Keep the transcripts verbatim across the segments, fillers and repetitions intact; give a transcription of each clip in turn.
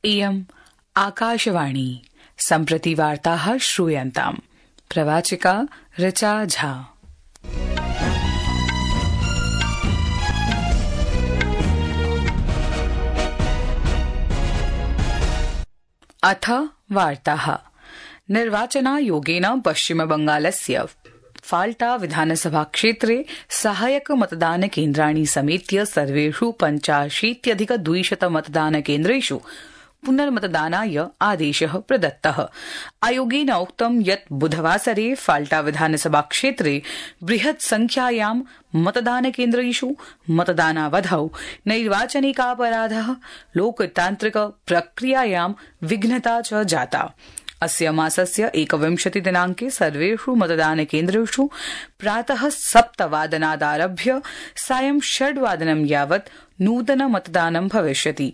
इयम् आकाशवाणी सम्प्रति वार्ताः श्रूयन्ताम्। प्रवाचिका ऋचा झा। अथ वार्ताः। निर्वाचनायोगेन पश्चिमबंगालस्य फाल्टा विधानसभा क्षेत्रे सहायक मतदान केन्द्राणि समेत्य सर्वेषु पञ्चाशीत्यधिक द्विशत मतदान केन्द्रेषु पुनर्मतदानाय आदेशः प्रदत्तः। आयोगेन उक्तं यत् बुधवासरे फाल्टा विधानसभा क्षेत्रे बृहत् संख्यायां मतदान केन्द्रेषु मतदानावधौ नैर्वाचनिकापराधः, लोकतान्त्रिक प्रक्रियायां विघ्नता च जाता। अस्य मासस्य एकविंशति दिनांके सर्वेषु मतदान केन्द्रेषु प्रातः सप्तवादनादारभ्य सायं षड्वादनं यावत् नूतन मतदानं भविष्यति।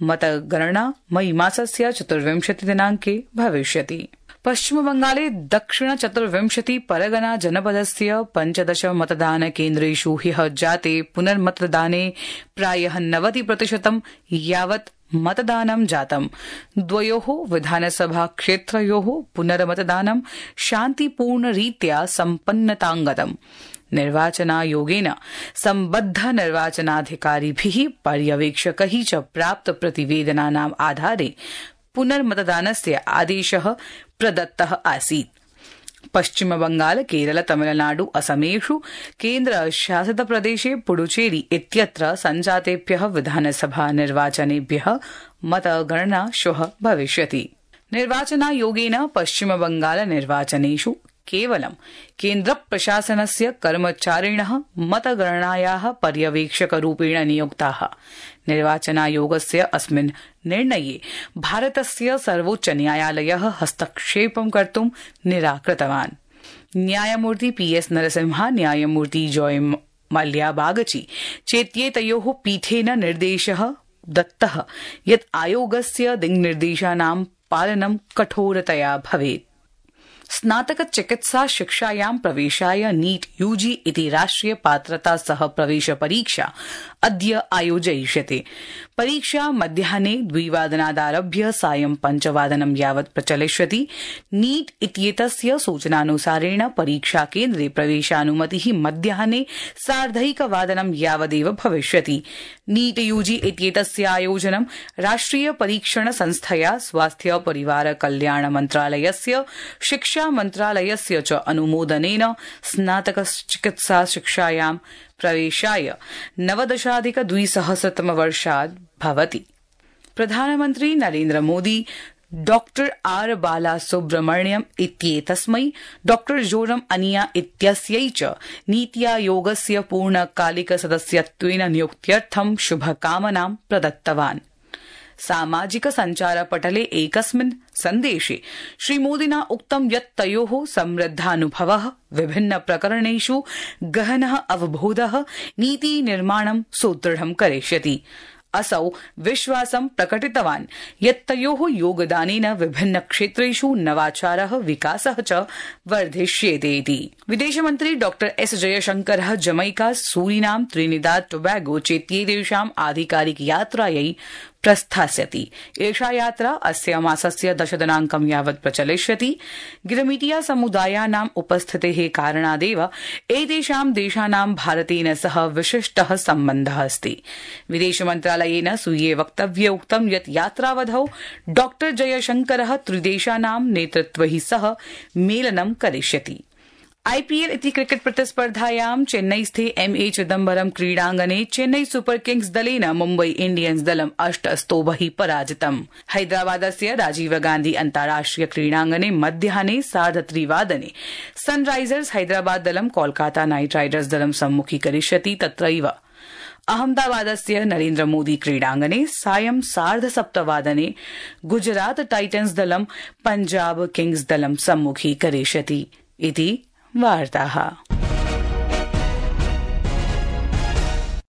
मतगणना मई मासस्य चतुर्विंशति दिनांके भविष्यति। पश्चिमबंगाले दक्षिण चतुर्विंशति परगना जनपदस्य पञ्चदश मतदान केन्द्रेषु ह्यः जाते पुनर्मतदाने प्रायः नवति प्रतिशतं यावत् मतदानं जातम्। द्वयोः विधानसभा क्षेत्रयोः पुनर्मतदानं शान्तिपूर्णरीत्या सम्पन्नतांगतम्। निर्वाचनायोगेन सम्बद्ध निर्वाचनाधिकारिभिः पर्यवेक्षकैः च प्राप्त प्रतिवेदनानाम् आधारे पुनर्मतदानस्य आदेशः प्रदत्तः आसीत्। पश्चिमबंगाल, केरल, तमिलनाडु, असमेषु केन्द्रशासित प्रदेशे पुडुचेरी इत्यत्र सञ्जातेभ्यः विधानसभा निर्वाचनेभ्यः मतगणना श्वः भविष्यति। निर्वाचनायोगेन पश्चिमबंगाल निर्वाचनेषु केवलं केन्द्रप्रशासनस्य कर्मचारिणः मतगणनायाः पर्यवेक्षकरूपेण नियुक्ताः। निर्वाचनायोगस्य अस्मिन् निर्णये भारतस्य सर्वोच्चन्यायालयः हस्तक्षेपं कर्तुं निराकृतवान्। न्यायमूर्ति पी एस नरसिम्हा, न्यायमूर्ति जॉय मल्या बागची चेत्येतयोः पीठेन निर्देशः दत्तः यत् आयोगस्य दिङ्निर्देशानां पालनं कठोरतया भवेत्। स्नातक चिकित्सा शिक्षायां प्रवेशाय नीट यूजी इति राष्ट्रिय पात्रता सह प्रवेश परीक्षा अद्य आयोजयिष्यते। परीक्षा मध्याह्ने द्विवादनादारभ्य सायं पञ्चवादनं यावत् प्रचलिष्यति। नीट इत्येतस्य सूचनानुसारेण परीक्षा केन्द्रे प्रवेशानुमतिः मध्याह्ने सार्धैकवादनं यावदेव भविष्यति। नीट यूजी इत्येतस्य आयोजनं राष्ट्रिय परीक्षण संस्थया स्वास्थ्य परिवार कल्याण मन्त्रालयस्य शिक्षा मन्त्रालयस्य च अनुमोदनेन स्नातक चिकित्सा शिक्षायां प्रवेशाय नवदशाधिक द्विसहस्रतमवर्षात् भवति। प्रधानमन्त्री नरेन्द्र मोदी डॉक्टर आर बालासुब्रमण्यम इत्येतस्मै डॉक्टर जोरम अनिया इत्यस्यै च नीति आयोगस्य पूर्णकालिक सदस्यत्वेन नियुक्त्यर्थं शुभकामनां प्रदत्तवान्। सामाजिक सञ्चारपटले एकस्मिन् सन्देशे श्रीमोदिना उक्तं यत् तयोः समृद्धानुभवः विभिन्न प्रकरणेषु गहनः अवबोधः नीति निर्माणं सुदृढं करिष्यति। असौ विश्वासं प्रकटितवान् यत् तयोः योगदानेन विभिन्न क्षेत्रेषु नवाचारः, विकासः च वर्धिष्येते इति। विदेशमन्त्री डॉक्टर एस जयशंकरः जमैका, सूरीनाम, त्रिनिदाद टोबैगो चेत्येतेषाम् आधिकारिक यात्रायै प्रस्थास्यति। एषा यात्रा अस्य मासस्य दशदिनांकं यावत् प्रचलिष्यति। गिरमिटिया समुदायानाम् उपस्थितेः कारणादेव एतेषां देशानां भारतेन सह विशिष्टः सम्बन्धः अस्ति। विदेशमन्त्रालयेन स्वीये वक्तव्ये उक्तं यत् यात्रावधौ डॉक्टर जयशंकरः त्रिदेशानां नेतृत्वैः सह मेलनं करिष्यति। आईपीएल इति क्रिकेट प्रतिस्पर्धायां चेन्नईस्थे एम ए चिदम्बरम क्रीडांगणे चेन्नई सुपर किंग्स दलेन मुम्बई इंडियन्स दलम् अष्ट स्तोभैः पराजितम्। हैदराबादस्य राजीव गांधी अन्ताराष्ट्रिय क्रीडांगणे मध्याह्ने सार्धत्रिवादने सनराइजर्स हैदराबाद दलं कोलकाता नाइट राइडर्स दलं सम्मुखीकरिष्यति। तत्रैव अहमदाबादस्य नरेन्द्र मोदी क्रीडांगणे सायं सार्धसप्तवादने गुजरात टाइटन्स दलं पंजाब किंग्स दलं सम्मुखीकरिष्यति इति वार्ताः।